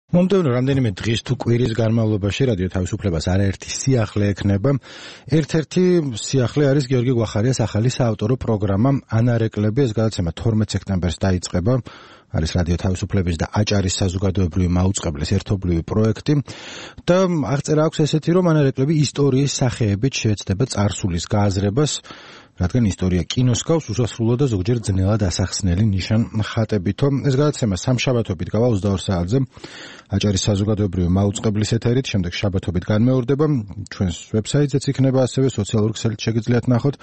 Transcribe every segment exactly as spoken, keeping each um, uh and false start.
მომდევნო რამდენიმე დღის თუ კვირის განმავლობაში რადიო თავისუფლებას არაერთი სიახლე ექნება. ერთ-ერთი სიახლე არის გიორგი გვახარიას ახალი საავტორო პროგრამა ანარეკლები, ეს გადაცემა თორმეტ სექტემბერს დაიწყება. არის რადიო თავისუფლების და აჭარის საზოგადოებრივი მაუწყებლის ერთობლივი პროექტი და აღწერა აქვს ესეთი, რომ ანარეკლები ისტორიის სახეებით შეეცდება წარსულის გააზრებას, რადგან ისტორია კინოს გავს უსასრულო და ზოგჯერ ძნელად ასახსნელი ნიშან ხატებითო. ეს გადაცემა სამშაბათობით გავა ოცდაორ საათზე აჭარის საზოგადოებრივი მაუწყებლის ეთერით, შემდეგ შაბათობით განმეორდება. ჩვენს ვებსაიტზეც იქნება, ასევე სოციალურ ქსელით შეგიძლიათ ნახოთ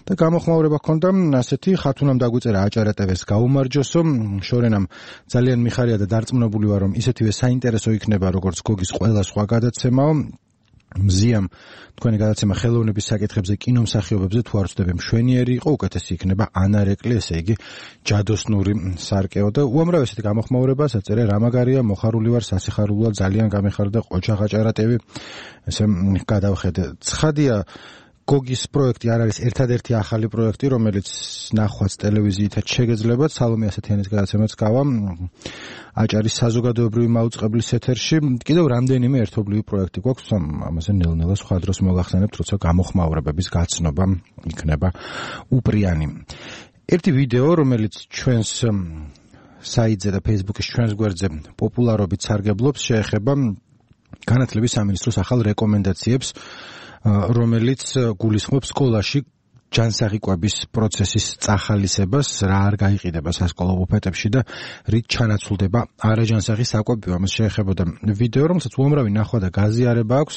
და გამოხმაურება ჰქონდა ასეთი: ხათუნამ დაგვიწერა აჭარა ტევ-ს გაუმარჯოსო, შორენამ ძალიან მიხარია და დარწმუნებული ვარ, რომ ისეთივე საინტერესო იქნება, როგორც გოგის ყველა სხვა გადაცემაო. მზიამ თქვენი გადაცემა ხელოვნების საკითხებზე, კინომსახიობებზე თუ არ ვწდები მშვენიერი იყო, უკეთესი იქნება ანარეკლი, ესე იგი ჯადოსნური სარკეო და უამრავ ესეთი გამოხმაურებას აწერე რამაგარია, მოხარული ვარ, სასიხარულოა, ძალიან გამეხარდა ყოჩა აჭარა ტევ. ესე გადავხედე. ცხადია, გოგის პროექტი არ არის ერთადერთი ახალი პროექტი, რომელიც ნახვაც ტელევიზიითაც შეგეძლებათ. სალომე ასათიანის გადაცემაც გავა აჭარის საზოგადოებრივი მაუწყებლის ეთერში. კიდევ რამდენიმე ერთობლივი პროექტი გვაქვს, ამაზე ნელ-ნელა სხვა დროს მოგახსენებთ, როცა გამოხმაურებების გაცნობა იქნება უპრიანი. ერთი ვიდეო, რომელიც ჩვენს საიტზე და Facebook-ის ჩვენს გვერდზე პოპულარობით სარგებლობს, შეეხება განათლების სამინისტროს ახალ რეკომენდაციებს, რომელიც გულისხმობს სკოლაში ჯანსაღი-კვების პროცესის წახალისებას, რა არ გაიყიდება სასკოლო ბუფეტებში და რით ჩანაცვლდება არაჯანსაღი საკვები. ამას შეეხებოდა ვიდეო, რომელსაც უამრავი ნახვა და გაზიარება აქვს,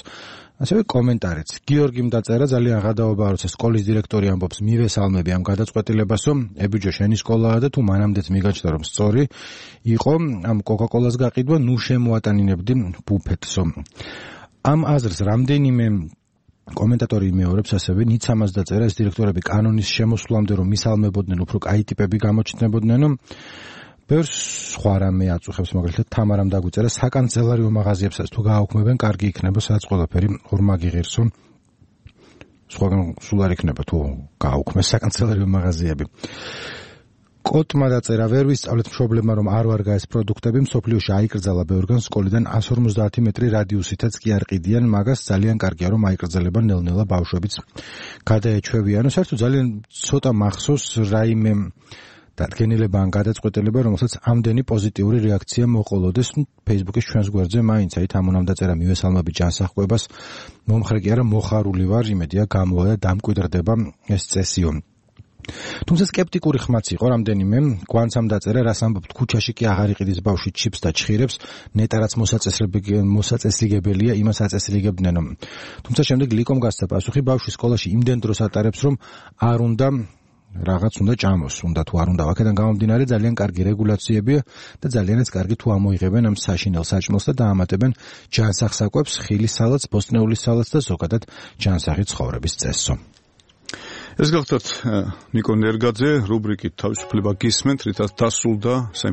ასევე კომენტარიც. გიორგიმ დაწერა, ძალიან ღადაობაა, როცა სკოლის დირექტორი ამბობს, მივესალმები ამ გადაწყვეტილებასო, ებიჯო შენი სკოლაა და თუ მანამდეც მიგაჩნდა, რომ სწორი იყო ამ კოკა-კოლას გაყიდვა, ნუ შემოატანინებდი ბუფეტსო. ამ აზრს რამდენიმე კომენტატორი იმეორებს, ასევე ნიცამას დაწერა, ეს დირექტორები კანონის შემოსვლამდე რომ მისალმებოდნენ, უფრო კაი ტიპები გამოჩნდებოდნენ. ბევრ სხვა რამე აწუხებს, მაგალითად თამარამ დაგვიწერა, საკანცელარიო მაღაზიებსაც თუ გააუქმებენ, კარგი იქნება, სადაც ყველაფერი ორმაგი ღირსო. სხვაგან სულ არ იქნება თუ გააუქმეს საკანცელარიო მაღაზიები. კოტმა დაწერა, ვერ ვისწავლეთ მშობლებმა, რომ არ ვარ გაეს პროდუქტები, მსოფლიოში აიკრძალა ბევრგან სკოლიდან εκατს ორმოცდაათი მეტრი რადიუსითაც კი არ ყიდიან, მაგას ძალიან კარგია, რომ აიკრძალება ნელ-ნელა ბავშვებიც გადაეჩვევიანო. საერთოდ ძალიან ცოტა მახსოვს რაიმე დადგენილება ან გადაწყვეტილება, რომელსაც ამდენი პოზიტიური რეაქცია მოყოლოდეს. Facebook-ის ჩვენს გვერდზე მაინც აი თამუნამ დაწერა, მივესალმები ჯანსაღკვებას, მომხრე კი არა, მოხარული ვარ, იმედია გამოვა და დამკვიდრდება ეს წესიო. თუმცა სკეპტიკური ხმაც იყო რამდენიმე. გვანცამ დაწერა, რას ამბობთ, ქუჩაში კი აღარ იყიდის ბავშვი ჩიპს და ჩხირებს, ნეტარაც მოსაწესრიგებელია, იმას აწესრიგებდნენო. თუმცა შემდეგ ლიკომ გასცა პასუხი, ბავშვი სკოლაში იმდენ დროს ატარებს, რომ არ უნდა რაღაც უნდა ჭამოს, უნდა თუ არ უნდა. აქედან გამომდინარე ძალიან კარგი რეგულაციებია და ძალიანაც კარგი თუ ამოიღებენ ამ საშინელ საჭმელს და დაამატებენ ჯანსაღ საკვებს, ხილის სალათს, ბოსტნეულის სალათს და ზოგადად ჯანსაღი ცხოვრების წესსო. ეს გახლავთ ნიკო ნერგაძე, რუბრიკით თავისუფლება გისმენთ, რითაც დასრულდა